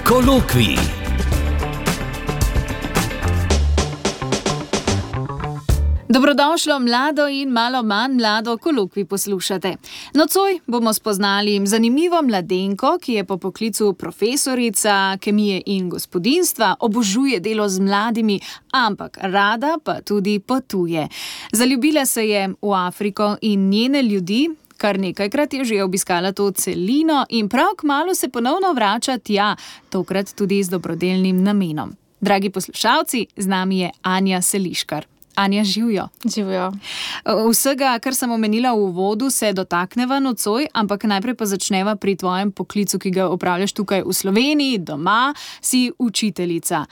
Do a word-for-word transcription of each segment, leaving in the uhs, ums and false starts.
Kolokvij. Dobrodošlo mlado in malo manj mlado kolokvij poslušate. Nocoj bomo spoznali zanimivo mladenko, ki je po poklicu profesorica kemije in gospodinjstva, obožuje delo z mladimi, ampak rada pa tudi potuje. Zaljubila se je v Afriko in njene ljudi, kar nekajkrat je že obiskala to celino in prav kmalu se ponovno vrača tja, tokrat tudi z dobrodelnim namenom. Dragi poslušalci, z nami je Anja Seliškar. Anja, živjo. Živjo. Vsega, kar sem omenila v uvodu, se dotakneva nocoj, ampak najprej pa začneva pri tvojem poklicu, ki ga opravljaš tukaj v Sloveniji, doma, si učiteljica.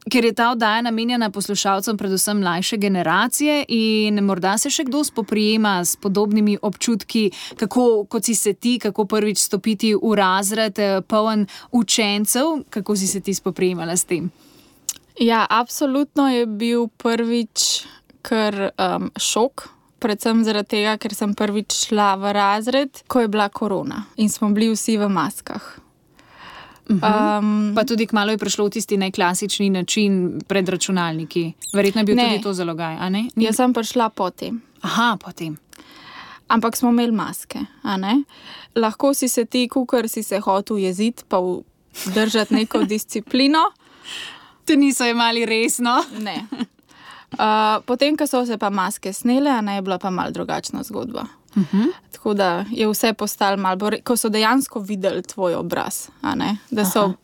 Ker je ta oddaja namenjena poslušalcem predvsem mlajše generacije in morda se še kdo spoprijema s podobnimi občutki, kako, kot si se ti, kako prvič stopiti v razred poln učencev, kako si se ti spoprijemala s tem? Ja, absolutno je bil prvič kar um, šok, predvsem zaradi tega, ker sem prvič šla v razred, ko je bila korona in smo bili vsi v maskah. Um, pa tudi kmalu je prišlo v tisti najklasični način pred računalniki. Verjetno je bil ne, tudi to zalogaj, a ne? Ni... Jaz sem prišla potem. Aha, potem. Ampak smo imeli maske, a ne? Lahko si se ti, kukor si se hotel jeziti, pa držati neko disciplino. Te niso imeli resno. Ne. Uh, potem, ko so se pa maske snele, a ne, je bila pa malo drugačna zgodba. Uh-huh. Tako da je vse postalo malo bolj, ko so dejansko videli tvoj obraz, a ne, da so Aha.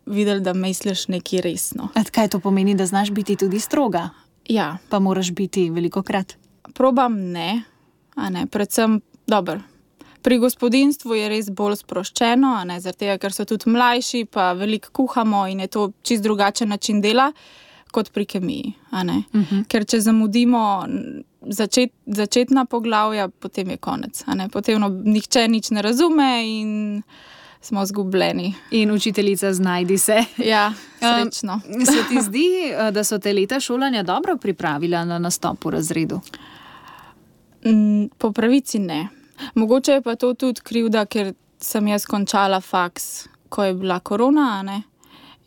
videli, da misliš nekaj resno. A kaj to pomeni, da znaš biti tudi stroga? Ja. Pa moraš biti velikokrat? Probam ne, a ne, predvsem, dobro. Pri gospodinjstvu je res bolj sproščeno, a ne, zaradi tega, ker so tudi mlajši, pa veliko kuhamo in je to čist drugačen način dela, kot pri kemiji, a ne. Uh-huh. Ker če zamudimo začet, začetna poglavja, potem je konec, a ne. Potem no, nihče nič ne razume in smo zgubljeni. In učiteljica znajdi se. Ja, srečno. Um, se ti zdi, da so te leta šolanja dobro pripravila na nastop v razredu? Mm, po pravici ne. Mogoče je pa to tudi krivda, ker sem jaz končala faks, ko je bila korona, a ne?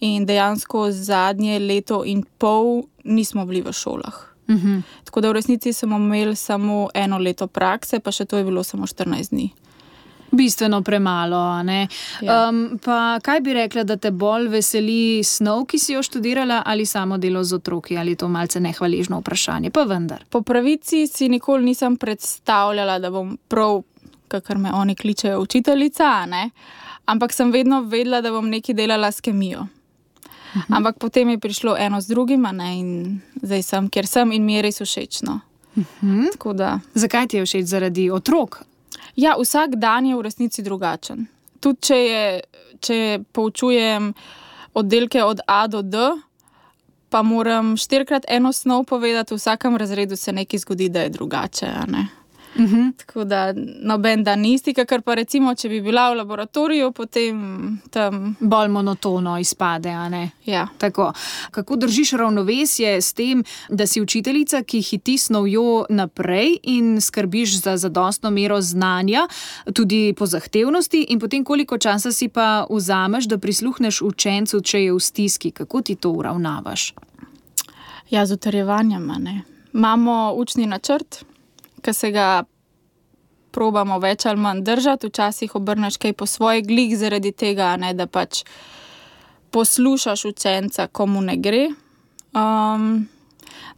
In dejansko zadnje leto in pol nismo bili v šolah. Uh-huh. Tako da v resnici smo imeli samo eno leto prakse, pa še to je bilo samo štirinajst dni. Bistveno premalo, a ne? Ja. Um, pa kaj bi rekla, da te bolj veseli snov, ki si jo študirala, ali samo delo z otroki, ali to malce nehvaležno vprašanje, pa vendar? Po pravici si nikoli nisem predstavljala, da bom prav, kakor me oni kličejo, učiteljica, a ne? Ampak sem vedno vedela, da bom nekaj delala s kemijo. Uh-huh. Ampak potem je prišlo eno z drugim, a ne? In zdaj sem, kjer sem in mi je res všečno. Uh-huh. Tako da... Zakaj ti je všeč? Zaradi otrok? Ja, vsak dan je v resnici drugačen. Tudi če, je, če poučujem oddelke od A do D, pa moram štirikrat eno snov povedati, v vsakem razredu se nekaj zgodi, da je drugače, a ne? Uh-huh. Tako da noben dan ni isti, kakor pa recimo, če bi bila v laboratoriju, potem tam... Bolj monotono izpade, a ne? Ja. Tako. Kako držiš ravnovesje s tem, da si učiteljica, ki hiti snovjo naprej in skrbiš za zadostno mero znanja, tudi po zahtevnosti, in potem koliko časa si pa vzameš, da prisluhneš učencu, če je v stiski? Kako ti to uravnavaš? Ja, z utrjevanjem, a ne. Imamo učni načrt, ki se ga probamo več ali manj držati, včasih obrneš kaj po svoje glih zaradi tega, ne, da pač poslušaš učenca, komu ne gre. Um,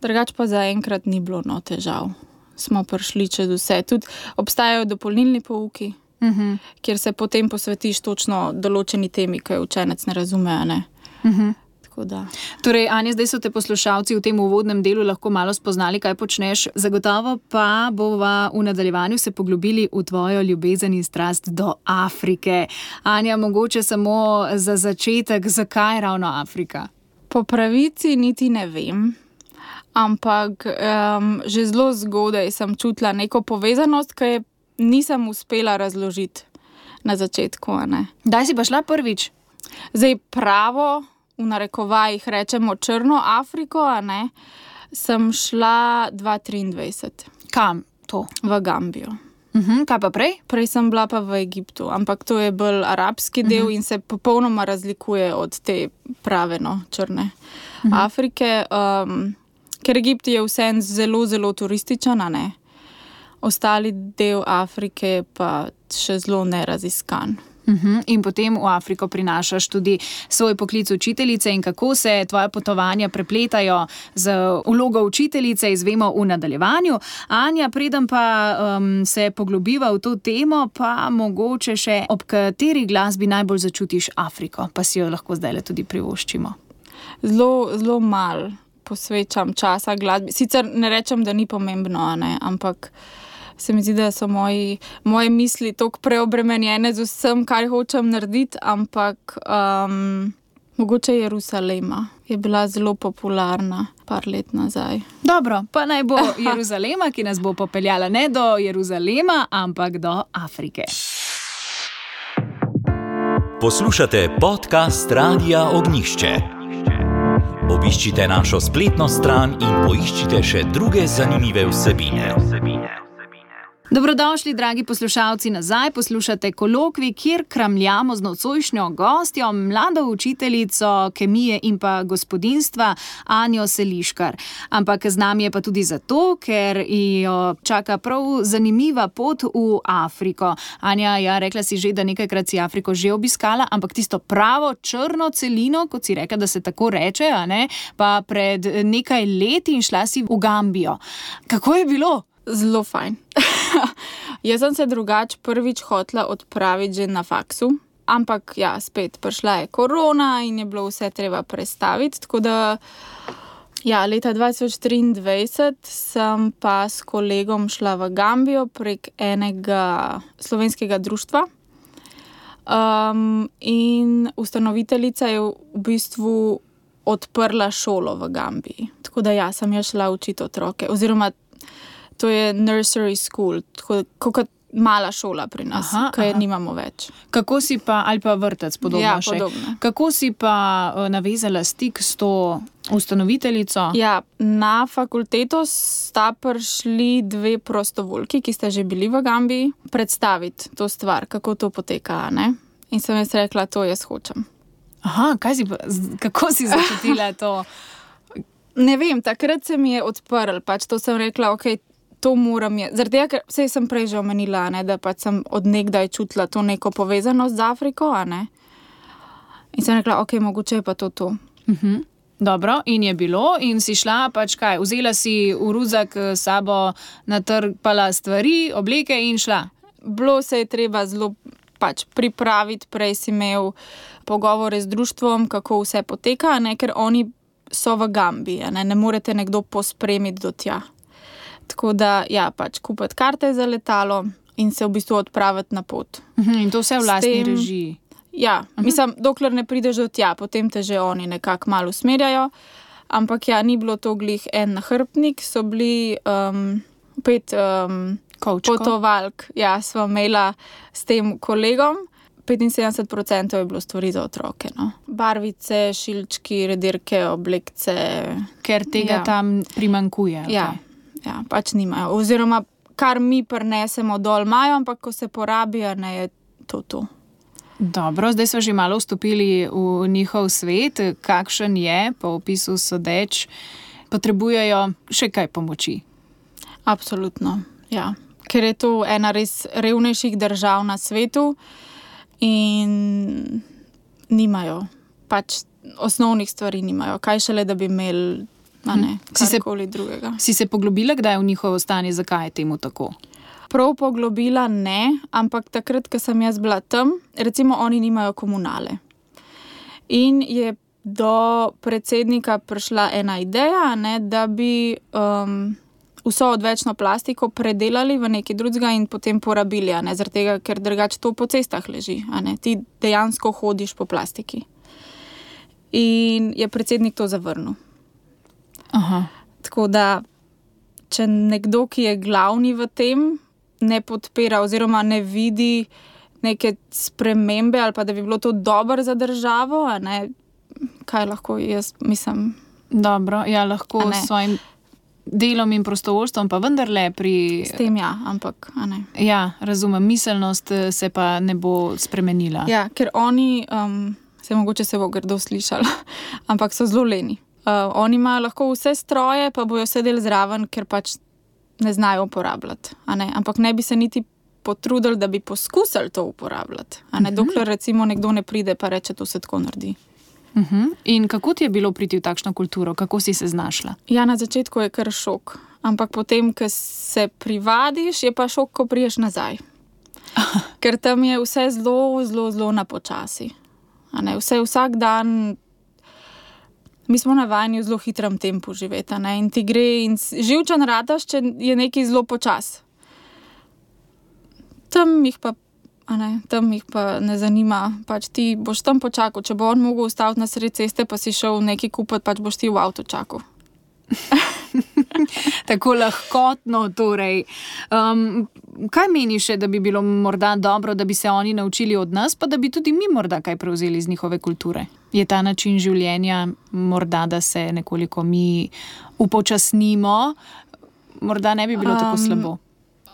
drugač pa zaenkrat ni bilo no težav. Smo prišli čez vse. Tudi obstajajo dopolnilni pouki, uh-huh. kjer se potem posvetiš točno določeni temi, ki jo učenec ne razume, a ne. Uh-huh. Da. Torej, Anja, zdaj so te poslušalci v tem uvodnem delu lahko malo spoznali, kaj počneš. Zagotovo pa bova v nadaljevanju se poglobili v tvojo ljubezen in strast do Afrike. Anja, mogoče samo za začetek, zakaj ravno Afrika? Po pravici niti ne vem, ampak um, že zelo zgodaj sem čutila neko povezanost, ki je nisem uspela razložiti na začetku, a ne. Daj si pa šla prvič? Zdaj pravo, v narekovajih rečemo črno Afriko, a ne, sem šla dva tisoč triindvajset. Kam to? V Gambijo. Uh-huh, kaj pa prej? Prej sem bila pa v Egiptu, ampak to je bolj arabski del uh-huh. in se popolnoma razlikuje od te prave, no, črne uh-huh. Afrike. Um, ker Egipt je vseeno zelo, zelo turističen, a ne? Ostali del Afrike pa še zelo neraziskan. Uh-huh. In potem v Afriko prinašaš tudi svoj poklic učiteljice in kako se tvoje potovanja prepletajo z vlogo učiteljice, izvemo v nadaljevanju. Anja, preden pa um, se poglobiva v to temo, pa mogoče še ob kateri glasbi najbolj začutiš Afriko, pa si jo lahko zdajle tudi privoščimo. Zelo, zelo malo posvečam časa glasbi. Sicer ne rečem, da ni pomembno, ne, ampak se mi zdi, da so moji, moje misli toliko preobremenjene z vsem, kar hočem narediti, ampak um, mogoče Jeruzalema je bila zelo popularna par let nazaj. Dobro, pa naj bo Jeruzalema, ki nas bo popeljala ne do Jeruzalema, ampak do Afrike. Poslušate podcast Radia Ognjišče. Obiščite našo spletno stran in poiščite še druge zanimive vsebine. Dobrodošli, dragi poslušalci, nazaj. Poslušate Kolokvij, kjer kramljamo z nocojšnjo gostjo, mlado učiteljico kemije in pa gospodinjstva Anjo Seliškar. Ampak z nami je pa tudi zato, ker jo čaka prav zanimiva pot v Afriko. Anja, ja, rekla si že, da nekajkrat si Afriko že obiskala, ampak tisto pravo črno celino, kot si rekla, da se tako reče, a ne, pa pred nekaj leti in šla si v Gambijo. Kako je bilo? Zelo fajn. Jaz sem se drugače prvič hotela odpraviti že na faksu, ampak ja, spet prišla je korona in je bilo vse treba prestaviti, tako da ja, leta dva tisoč triindvajset sem pa s kolegom šla v Gambijo prek enega slovenskega društva um, in ustanoviteljica je v bistvu odprla šolo v Gambiji. Tako da ja, sem jo šla učiti otroke, oziroma to je nursery school, kot mala šola pri nas, ki je nimamo več. Kako si pa, ali pa vrtec, podobno ja, še. Podobno. Kako si pa navezala stik s to ustanoviteljico? Ja, na fakulteto sta prišli dve prostovoljki, ki sta že bili v Gambiji, predstaviti to stvar, kako to poteka, ne? In sem jaz rekla, to jaz hočem. Aha, kaj si pa, kako si začutila to? Ne vem, takrat se mi je odprl, pač to sem rekla, okej, okay, to moram je. Zaradi tega, ker vse sem prej že omenila, ne, da pač sem od nekdaj čutila to neko povezanost z Afriko, a ne. In sem rekla, okej, okay, mogoče je pa to to. Uh-huh. Dobro, in je bilo, in si šla, pač kaj, vzela si v ruzak s sabo, natrpala stvari, obleke in šla. Bilo se je treba zelo pač pripraviti, prej si imel pogovore z društvom, kako vse poteka, ne, ker oni so v Gambiji, ne, ne morete nekdo pospremiti do tja. Tako da, ja, pač kupiti karte za letalo in se v bistvu odpraviti na pot. Uh-huh, in to vse v lastni tem, režiji? Ja, uh-huh. Mislim, dokler ne prideš do tja, potem te že oni nekako malo usmerjajo, ampak ja, ni bilo to glih en nahrbtnik, so bili um, pet um, potovalk, ja, sva imela s tem kolegom. petinsedemdeset procentov je bilo stvari za otroke, no. Barvice, šilčki, redirke, oblekce. Ker tega ja. Tam primankuje. Ja, okay. Ja, pač nimajo. Oziroma, kar mi prinesemo dol imajo, ampak ko se porabijo, ne je to to. Dobro, zdaj smo že malo vstopili v njihov svet. Kakšen je, po opisu sodeč, potrebujejo še kaj pomoči? Absolutno, ja. Ker je to ena res revnejših držav na svetu, in nimajo, pač osnovnih stvari nimajo. Kaj šele, da bi imeli, a ne, karkoli drugega. Si se poglobila, kdaj je v njihovo stanje, zakaj je temu tako? Prav poglobila ne, ampak takrat, ko sem jaz bila tam, recimo oni nimajo komunale. In je do predsednika prišla ena ideja, ne, da bi um, vso odvečno plastiko predelali v nekaj drugega in potem porabili, a ne, zaradi tega, ker drugače to po cestah leži, a ne, ti dejansko hodiš po plastiki. In je predsednik to zavrnil. Aha. Tako da, če nekdo, ki je glavni v tem, ne podpira oziroma ne vidi neke spremembe ali pa da bi bilo to dobro za državo, a ne, kaj lahko jaz mislim. Dobro, ja, lahko s svojim delom in prostovoljstvom pa vendarle pri... S tem ja, ampak, a ne. Ja, razumem, miselnost se pa ne bo spremenila. Ja, ker oni, um, se mogoče se bo grdo slišali, ampak so zelo leni. Uh, oni imajo lahko vse stroje, pa bojo sedeli zraven, ker pač ne znajo uporabljati, a ne. Ampak ne bi se niti potrudili, da bi poskusili to uporabljati, a ne. Uh-huh. Dokler recimo nekdo ne pride, pa reče, to se tako naredi. Uh-huh. In kako ti je bilo priti v takšno kulturo? Kako si se znašla? Ja, na začetku je kar šok. Ampak potem, ko se privadiš, je pa šok, ko priješ nazaj. Ker tam je vse zelo, zelo, zelo na počasi. A ne, vse vsak dan... Mi smo navajeni v zelo hitrem tempu živeti, a ne, in ti gre in živčen rataš, če je nekaj zelo počas. Tam jih pa A ne, tam jih pa ne zanima, pač ti boš tam počakal, če bo on mogel ustaviti na sredi ceste, pa si šel nekaj kupiti, pač boš ti v avto čakal. Tako lahkotno, torej. Um, kaj meniš, da bi bilo morda dobro, da bi se oni naučili od nas, pa da bi tudi mi morda kaj prevzeli iz njihove kulture? Je ta način življenja morda, da se nekoliko mi upočasnimo, morda ne bi bilo um, tako slabo?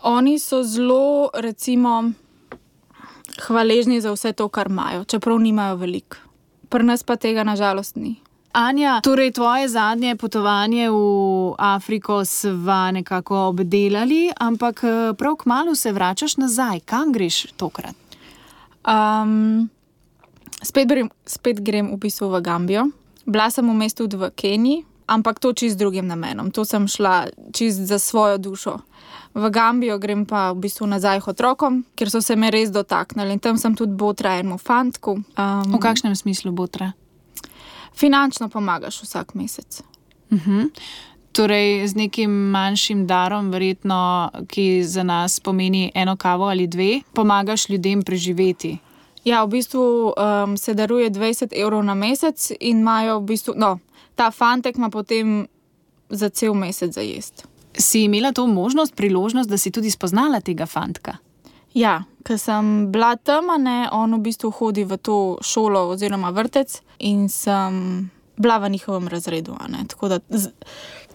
Oni so zelo, recimo... hvaležni za vse to, kar imajo, čeprav nimajo veliko. Pri nas pa tega nažalost ni. Anja, torej tvoje zadnje potovanje v Afriko sva nekako obdelali, ampak prav kmalu se vračaš nazaj. Kam greš tokrat? Um, spet, grem, spet grem v bistvu v Gambijo. Bila sem v mestu tudi v Keniji, ampak to čist drugim namenom. To sem šla čist za svojo dušo. V Gambijo grem pa v bistvu nazaj k otrokom, ker so se me res dotaknili. In tam sem tudi botra enemu fantku. Um, v kakšnem smislu botra? Finančno pomagaš vsak mesec. Uh-huh. Torej z nekim manjšim darom, verjetno, ki za nas pomeni eno kavo ali dve, pomagaš ljudem preživeti. Ja, v bistvu um, se daruje dvajset evrov na mesec in imajo v bistvu, no, ta fantek ima potem za cel mesec za jesti. Si imela to možnost, priložnost, da si tudi spoznala tega fantka? Ja, ker sem bila tam, ne, on v bistvu hodi v to šolo oziroma vrtec in sem bila v njihovem razredu, ne, tako da z,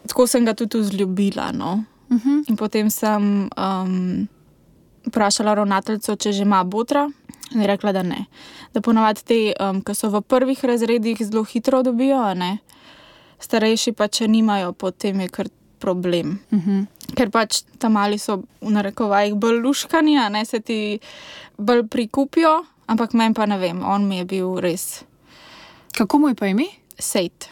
tako sem ga tudi vzljubila, no. Uh-huh. In potem sem um, vprašala ravnateljico, če že ima botra, in je rekla, da ne. Da ponavadi te, um, ki so v prvih razredih, zelo hitro dobijo, ne, starejši pa, če nimajo, potem je kar problem. Uh-huh. Ker pač tam mali so v narekovajih bolj luškani, a ne, se ti bolj prikupijo, ampak meni pa ne vem, on mi je bil res... Kako mu je pa ime? Sejt.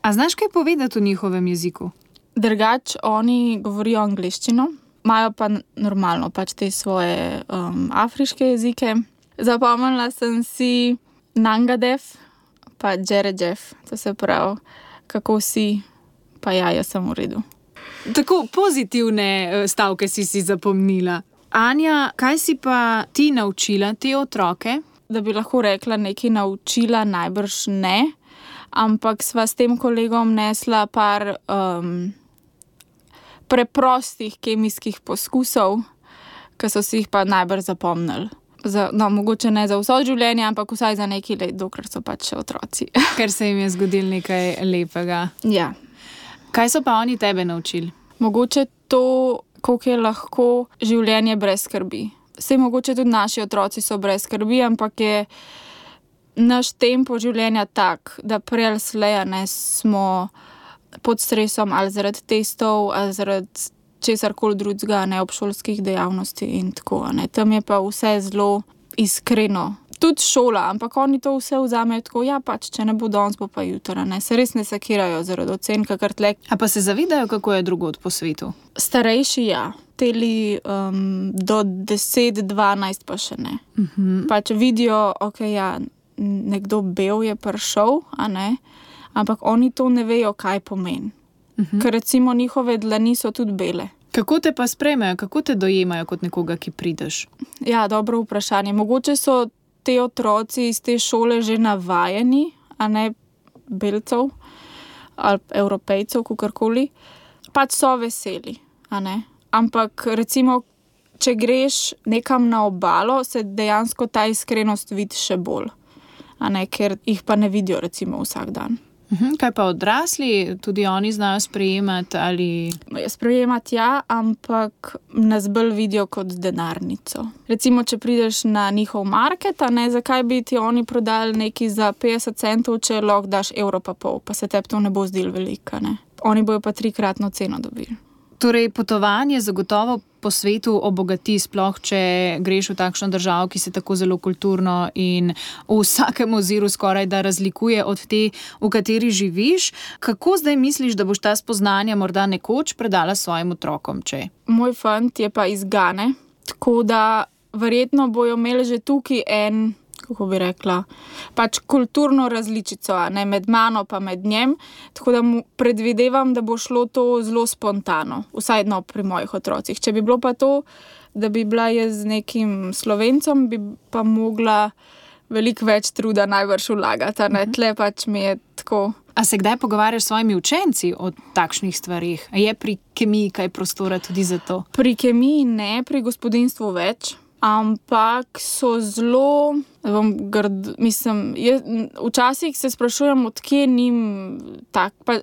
A znaš kaj povedati v njihovem jeziku? Drugač, oni govorijo angleščino, imajo pa normalno pač te svoje um, afriške jezike. Zapomnila sem si Nangadef, pa Džeredžef, to se pravi, kako si, pa ja, jaz sem v redu. Tako pozitivne stavke si si zapomnila. Anja, kaj si pa ti naučila te otroke? Da bi lahko rekla nekaj naučila, najbrž ne, ampak sva s tem kolegom nesla par um, preprostih kemijskih poskusov, ki so si jih pa najbrž zapomnili. Za, no, mogoče ne za vso življenje, ampak vsaj za nekaj let, dokler so pač otroci. Ker se jim je zgodil nekaj lepega. Ja. Kaj so pa oni tebe naučili? Mogoče to, koliko je lahko življenje brez skrbi. Saj mogoče tudi naši otroci so brez skrbi, ampak je naš tempo življenja tak, da prej ali slej ne smo pod stresom ali zaradi testov, ali zaradi česarkoli drugega, ne, obšolskih dejavnosti in tako, ne. Tam je pa vse zelo iskreno. Tudi šola, ampak oni to vse vzamejo tako, ja pač, če ne bo danes, bo pa jutra, ne. Se res ne sekirajo zaradi ocen, kakor tlek. A pa se zavedajo, kako je drugod po svetu? Starejši, ja. Teli um, do deset, dvanajst pa še ne. Uh-huh. Pač vidijo, ok, ja, nekdo bel je prišel, a ne, ampak oni to ne vejo, kaj pomeni. Uh-huh. Ker recimo njihove dlani so tudi bele. Kako te pa sprejmejo, kako te dojemajo kot nekoga, ki prideš? Ja, dobro vprašanje. Mogoče so te otroci iz te šole že navajeni, a ne belcev ali evropejcev, kakorkoli. Pač so veseli, a ne. Ampak recimo, če greš nekam na obalo, se dejansko ta iskrenost vidi še bolj, a ne, ker jih pa ne vidijo recimo vsak dan. Mhm, kaj pa odrasli, tudi oni znajo sprejemati ali... Sprejemati ja, ampak nas bolj vidijo kot denarnico. Recimo, če prideš na njihov market, a ne, zakaj bi ti oni prodali nekaj za petdeset centov, če lahko daš evro pa pol, pa se tebi to ne bo zdelo veliko, ne. Oni bojo pa trikratno ceno dobili. Torej, potovanje zagotovo po svetu obogati, sploh če greš v takšno državo, ki se tako zelo kulturno in v vsakem oziru skoraj da razlikuje od te, v kateri živiš. Kako zdaj misliš, da boš ta spoznanja morda nekoč predala svojim otrokom, če? Moj fant je pa iz Gane, tako da verjetno bojo imeli že tukaj en, kako bi rekla, pač kulturno različico, ne, med mano pa med njem, tako da mu predvidevam, da bo šlo to zelo spontano, vsaj no pri mojih otrocih. Če bi bilo pa to, da bi bila jaz z nekim Slovencem, bi pa mogla veliko več truda najbrž vlagati, ne, tle pač mi je tako. A se kdaj pogovarjaš s svojimi učenci o takšnih stvarih? A je pri kemiji kaj prostora tudi za to? Pri kemiji ne, pri gospodinjstvu več. Ampak so zelo, bom grd, mislim, jaz, včasih se sprašujem, odkje njim tak, pa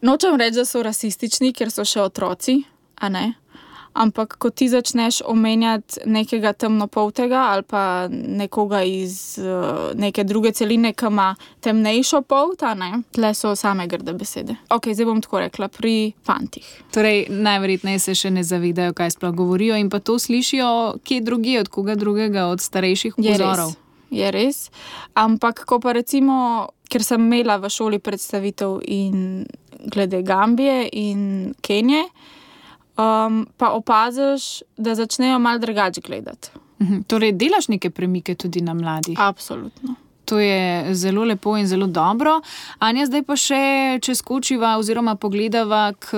nočem reči, da so rasistični, ker so še otroci, a ne, ampak ko ti začneš omenjati nekega temnopoltega ali pa nekoga iz uh, neke druge celine, ki ima temnejšo polt, a ne, tle so same grde besede. Ok, zdaj bom tako rekla, pri fantih. Torej, najverjetneje se še ne zavedajo, kaj sploh govorijo in pa to slišijo kje drugje, od koga drugega, od starejših vzorov. Je res, ampak ko pa recimo, ker sem imela v šoli predstavitev in glede Gambije in Kenije, Um, pa opaziš, da začnejo malo drugače gledati. Mhm. Torej, delaš neke premike tudi na mladih? Absolutno. To je zelo lepo in zelo dobro. Anja, zdaj pa še, če skočiva oziroma pogledava k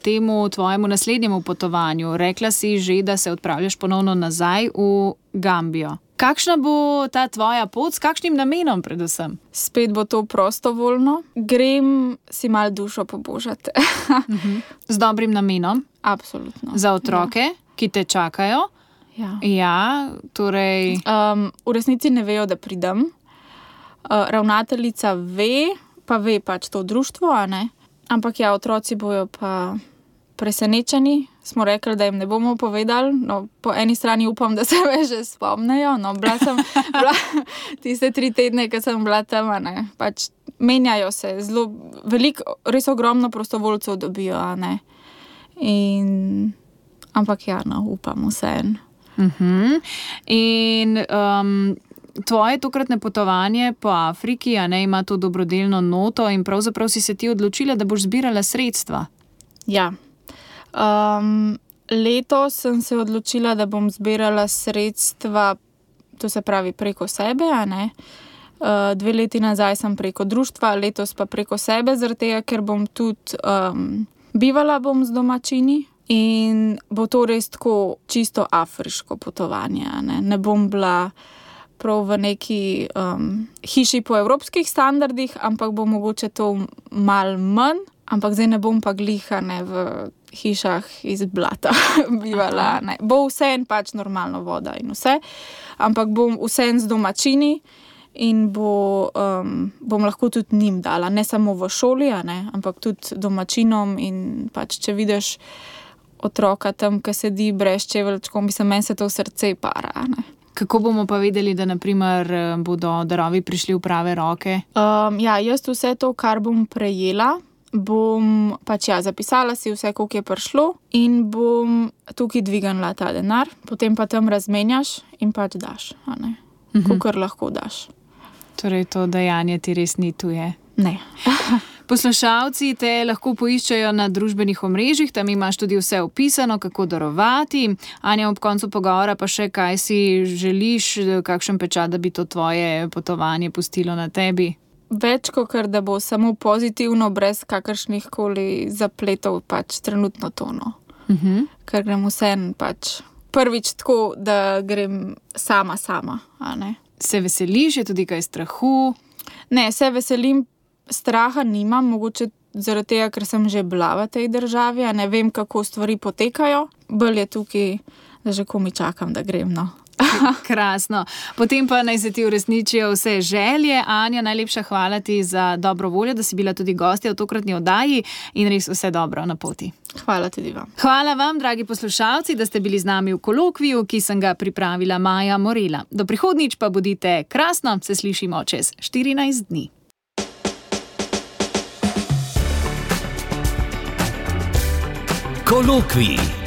temu tvojemu naslednjemu potovanju. Rekla si že, da se odpravljaš ponovno nazaj v Gambijo. Kakšna bo ta tvoja pot, s kakšnim namenom predvsem? Spet bo to prostovoljno. Grem si malo dušo pobožati. uh-huh. Z dobrim namenom? Absolutno. Za otroke, ja. Ki te čakajo? Ja. Ja, torej... Um, v resnici ne vejo, da pridem. Uh, ravnateljica ve, pa ve pač to društvo, a ne? Ampak ja, otroci bojo pa presenečeni. Smo rekli, da jim ne bomo povedali. No, po eni strani upam, da se me že spomnejo. No, bila sem bila tiste tri tedne, ko sem bila tam, ne. Pač menjajo se. Zelo veliko, res ogromno prostovoljcev dobijo, a ne. In, ampak ja, no, upam vseeno. Uh-huh. In um, tvoje tokratne potovanje po Afriki, a ne, ima to dobrodelno noto in pravzaprav si se ti odločila, da boš zbirala sredstva. Ja. Um, letos sem se odločila, da bom zbirala sredstva, to se pravi preko sebe, a ne. Uh, dve leti nazaj sem preko društva, letos pa preko sebe, zaradi tega, ker bom tudi um, bivala bom z domačini in bo to res tako čisto afriško potovanje, a ne. Ne bom bila prav v neki um, hiši po evropskih standardih, ampak bo mogoče to malo manj, ampak zdaj ne bom pa gliha, ne, v hišah iz blata bivala, ne. Bo vseeno pač normalno voda in vse, ampak bom vseeno z domačini in bo, um, bom lahko tudi njim dala, ne samo v šoli, a ne, ampak tudi domačinom in pač, če vidiš otroka tam, ki sedi brez čeveljčkov, mislim, meni se to srce para, a ne. Kako bomo pa vedeli, da naprimer bodo darovi prišli v prave roke? Um, ja, jaz vse to, kar bom prejela, bom pač ja, zapisala si vse, koliko je prišlo in bom tukaj dvignila ta denar, potem pa tam razmenjaš in pač daš, a ne, uh-huh. Kolikor lahko daš. Torej to dejanje ti res ni tuje? Ne. Poslušalci te lahko poiščejo na družbenih omrežjih, tam imaš tudi vse opisano, kako darovati. Anja, ob koncu pogovora pa še, kaj si želiš, kakšen pečat, da bi to tvoje potovanje pustilo na tebi? Več kot kar, da bo samo pozitivno, brez kakršnih koli zapletov, pač trenutno tono. Uh-huh. Ker grem vsem pač prvič tako, da grem sama, sama, a ne. Se veseliš, je tudi kaj strahu? Ne, se veselim, straha nimam, mogoče zaradi tega, ker sem že bila v tej državi, a ne vem, kako stvari potekajo. Bolj je tukaj, da že komi čakam, da grem, no. Krasno. Potem pa naj se ti uresničijo vse želje. Anja, najlepša hvala ti za dobro voljo, da si bila tudi gostja v tokratni oddaji in res vse dobro na poti. Hvala tudi vam. Hvala vam, dragi poslušalci, da ste bili z nami v kolokviju, ki sem ga pripravila Maja Morela. Do prihodnjič pa bodite krasno, se slišimo čez štirinajst dni. Kolokvij.